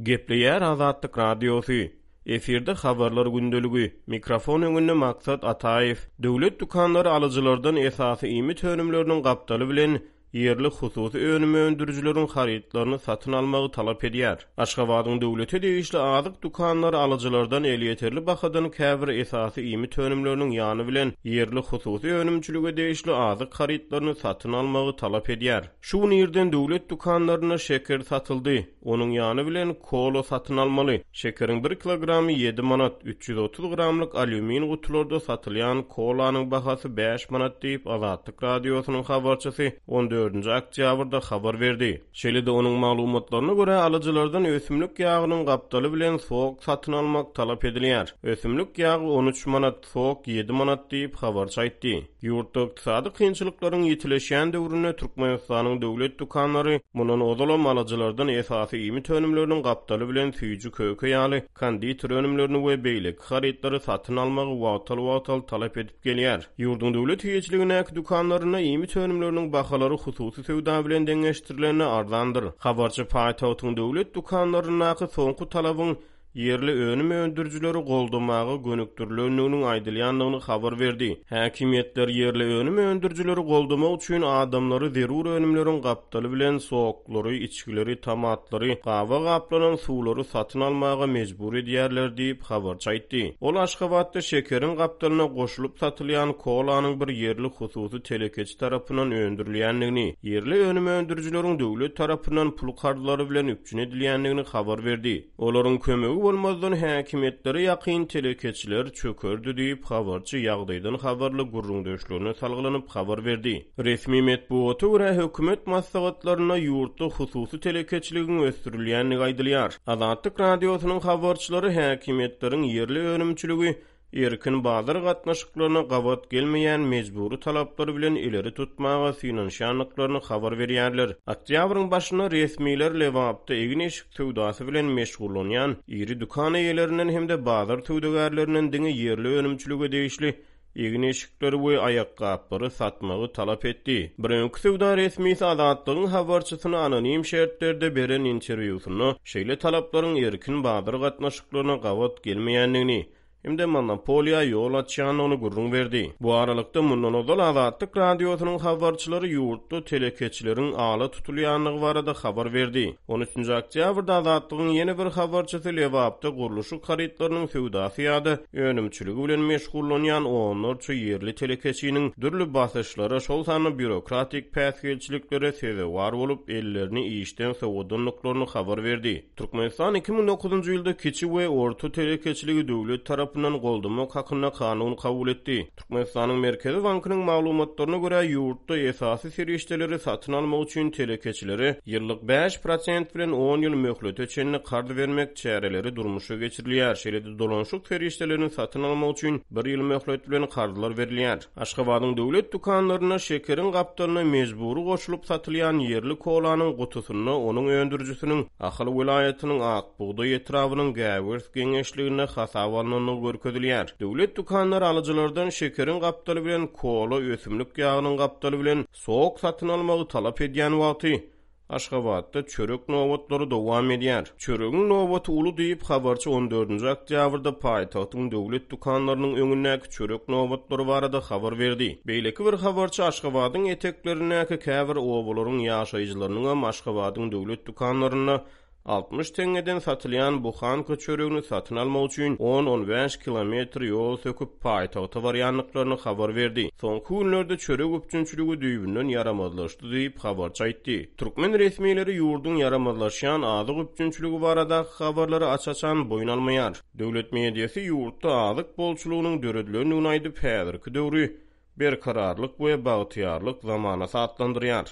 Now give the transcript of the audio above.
Gepleýär Azatlyk Radiosy, Efirde Habarlar gündeligi, mikrofon öňünde Maksat Ataýew. Döwlet dükanlary alyjylardan esasy iýmit önümleriniň gapdaly bilen ýerli hususy önüm öndürijileriň harytlaryny satyn almagy talap edýär. Aşgabadyň döwlete degişli azyk dükanlary alyjylardan elýeterli bahadan käbir esasy iýmit önümleriniň ýany bilen ýerli hususy önümçilige degişli azyk harytlaryny satyn almagy talap edýär. Şu gün irden döwlet dükanlarynda şeker satyldy. Onuň ýany bilen kola satyn almaly. Şekeriň bir kilogramy ýedi manat, 330 gramlyk alýumin gutularda satylýan kolanyň bahasy bäş manat diýip, Azatlyk Radiosynyň habarçysy on dördünji oktýabrda habar berdi. Şeýle-de onuň maglumatlaryna görä, alyjylardan ösümlik ýagynyň gapdaly bilen sok satyn almak talap edilýär. Ösümlik ýagy on üç manat, sok ýedi manat diýip, habarçy aýtdy. Ýurtda ykdysady kynçylyklaryň ýitileşýän döwründe Türkmenistanyň döwlet dükanlary mundan ozalam alyjylardan esasy iýmit önümleriniň gapdaly bilen süýji-köke ýaly konditer önümlerini we beýleki harytlary satyn almagy wagtal-wagtal talap edip gelýär. Ýurduň döwlet eýeçiligindäki dükanlarynda iýmit önümleriniň bahalary hususy söwda bilen deňeşdirilende arzandyr. Habarçy paýtagtyň döwlet dükanlaryndaky soňky talabyň ýerli önüm öndürijileri goldamaga gönükdirilendiginiň aýdylýandygyny habar berdi. Häkimiýetler ýerli önüm öndürijileri goldamak üçin adamlary zerur önümleriň gapdaly bilen soklary, içgileri, tomatlary, gaba gaplanan suwlary satyn almaga mejbur edýärler diýip, habarçy aýtdy. Ol Aşgabatda şekeriň gapdalyna goşulyp satylýan kolanyň bir ýerli hususy telekeçi tarapyndan öndürilýändigini, ýerli önüm öndürijileriň döwlet tarapyndan pul karzlary bilen üpjün edilýändigini habar berdi. Olaryň kömegi bolmazdan häkimiýetlere ýakyn telekeçiler çökerdi diýip, habarçy ýagdaýdan habarly gürrüňdeşlerine salgylanyp habar berdi. Resmi metbugata görä, hökümet maslahatlarynda ýurtda hususy telekeçiligiň ösdürilýändigi aýdylýar. Azatlyk Radiosynyň habarçylary häkimiýetleriň ýerli önümçiligi erkin bazar gatnaşyklaryna gabat gelmeýän mejbury talaplary bilen ileri tutmaga synanyşýandyklaryny habar berýärler. Oktýabryň başynda resmiler Lebapda egin-eşik söwdasy bilen meşgullanýan iri dükan eýelerinden hem-de bazar söwdagärlerinden diňe ýerli önümçilige degişli egin-eşikleri we aýakgaplary satmagy talap etdi. Bir öňki söwda resmisi Azatlygyň habarçysyna anonim şertlerde beren interwýusynda şeýle talaplaryň erkin bazar gatnaşyklaryna gabat gelmeýändigini hem-de monopoliýa ýol açýandygyny gürrüň berdi. Bu aralykda, mundan ozal Azatlyk Radiosynyň habarçylary ýurtda telekeçileriň ala tutulýandygy barada habar berdi. On üçünji oktýabrda Azatlygyň ýene bir habarçysy Lebapda gurluşyk harytlarynyň söwdasy ýa-da önümçiligi bilen meşgullanýan onlarça ýerli telekeçiniň dürli basyşlara, şol sanda býurokratik päsgelçiliklere sezewar bolup, ellerini işden sowadandyklaryny habar berdi. Türkmenistan 2009-njy ýylda kiçi we orta telekeçiligi döwlet tarapyndan goldamak hakynda kanun kabul etdi. Türkmenistanyň Merkezi bankynyň maglumatlaryna görä, ýurtda esasy serişdeleri satyn almak üçin telekeçilere ýyllyk 5 prosent bilen on ýyl möhlete çenli karz bermek çäreleri durmuşa geçirilýär, şeýle-de dolanyşyk serişdelerini satyn almak üçin bir ýyl möhlet bilen karzlar berilýär. Aşgabadyň döwlet dükanlarynda şekeriň gapdalyna mejbury goşulyp satylýan ýerli kolanyň gutusynda onuň öndürijisiniň Ahal welaýatynyň Ak bugdaý etrabynyň Gäwers geňeşliginde hasaba alnandygy görkezilýär. Döwlet dükanlary alyjylardan şekeriň gapdaly bilen kola, ösümlik ýagynyň gapdaly bilen sok satyn almagy talap edýän wagty, Aşgabatda çörek nobatlary dowam edýär. Çöregiň nobaty uly diýip, habarçy on dördünji oktýabrda paýtagtyň döwlet dükanlarynyň öňündäki çörek nobatlary barada habar berdi. Beýleki bir habarçy Aşgabadyň eteklerindäki käbir obalaryň ýaşaýjylarynyňam Aşgabadyň döwlet dükanlarynda 60 teňňeden satylýan buhanka çöregini satyn almak üçin on-on bäş kilometr ýol söküp, paýtagta barýandyklaryny habar berdi. Soňky günlerde çörek üpjünçiligi düýbünden ýaramazlaşdy diýip, habarçy aýtdy. Türkmen resmileri ýurduň ýaramazlaşýan azyk üpjünçiligi baradaky habarlary aç-açan boýun almaýar. Döwlet mediasy ýurtda azyk bolçulygynyň döredilendigini aýdyp, häzirki döwri Berkararlyk we bagtyýarlyk zamanasy atlandyrýar.